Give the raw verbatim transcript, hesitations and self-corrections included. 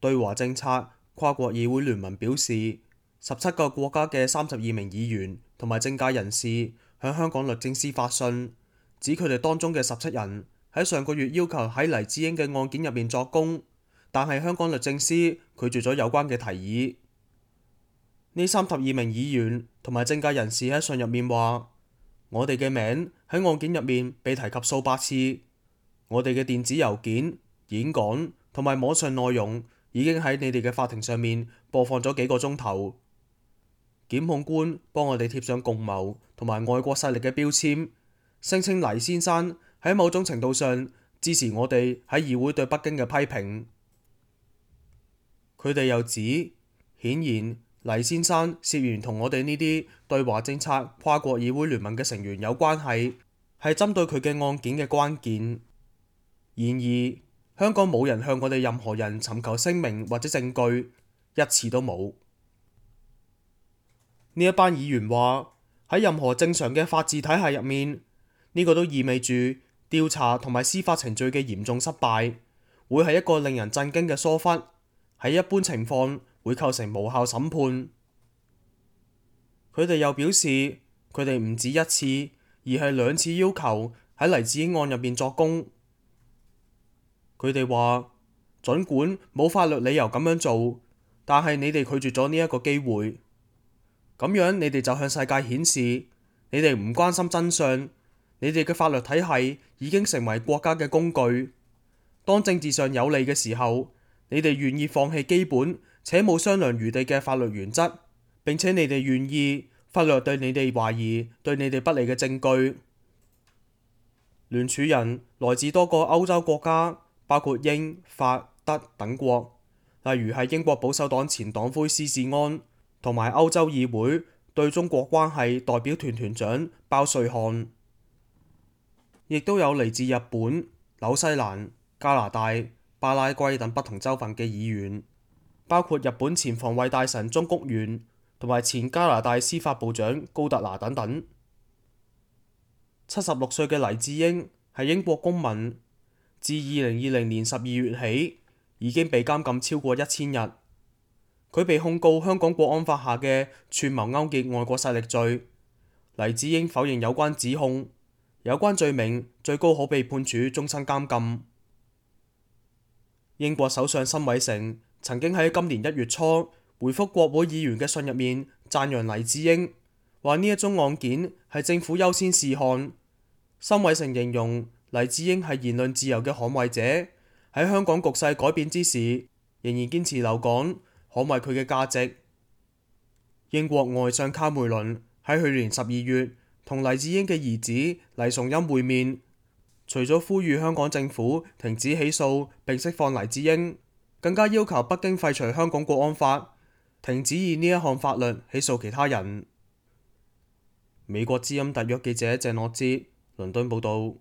對華政策跨國議會聯盟表示，十七個國家嘅三十二名議員同埋政界人士向香港律政司發信，指佢哋當中嘅十七人喺上個月要求喺黎智英嘅案件入面作供，但係香港律政司拒絕咗有關嘅提議。呢三十二名議員同埋政界人士喺信入面話：我哋嘅名喺案件入面被提及數百次，我哋嘅電子郵件、演講同埋網上內容已經喺你哋嘅法庭上面播放咗幾個鐘頭。檢控官幫我哋貼上共謀同埋外國勢力嘅標籤，聲稱黎先生喺某種程度上支持我哋喺議會對北京嘅批評。佢哋又指，顯然黎先生涉嫌同我哋呢啲對華政策跨國議會聯盟嘅成員有關係，係針對佢嘅案件嘅關鍵。然而，香港冇人向我哋任何人尋求聲明或者證據，一次都冇。呢一班議員話，喺任何正常嘅法治體系入面，呢個都意味住調查同埋司法程序嘅嚴重失敗，會係一個令人震驚嘅疏忽，喺一般情況會構成無效審判。佢哋又表示，佢哋唔止一次，而係兩次要求喺黎智英案入面作供。佢哋話，儘管冇法律理由咁樣做，但係你哋拒絕咗呢一個機會，咁樣你哋就向世界顯示，你哋唔關心真相，你哋嘅法律體系已經成為國家嘅工具。當政治上有利嘅時候，你哋願意放棄基本且冇商量餘地嘅法律原則，並且你哋願意忽略對你哋懷疑對你哋不利嘅證據。聯署人來自多個歐洲國家，包括英、法、德等國，例如係英國保守黨前黨魁施志安，同埋歐洲議會對中國關係代表團團長包瑞漢，亦都有嚟自日本、紐西蘭、加拿大、巴拉圭等不同州份嘅議員，包括日本前防衛大臣中谷元同埋前加拿大司法部長高特拿等等。七十六歲嘅黎智英係英國公民，自二零二零年十二月起已經被監禁超過一千日。佢被控告香港國安法下嘅串謀勾結外國勢力罪。黎智英否認有關指控，有關罪名最高可被判處終身監禁。英國首相辛偉誠曾經喺今年一月初回覆國會議員嘅信入面讚揚黎智英，話呢一宗案件係政府優先事項。辛偉誠形容黎智英係言論自由嘅捍衛者，喺香港局勢改變之時，仍然堅持留港，捍衛佢嘅價值。英國外相卡梅倫喺去年十二月同黎智英嘅兒子黎崇欽會面，除咗呼籲香港政府停止起訴並釋放黎智英，更加要求北京廢除香港國安法，停止以呢一項法律起訴其他人。美國之音特約記者鄭樂哲倫敦報道。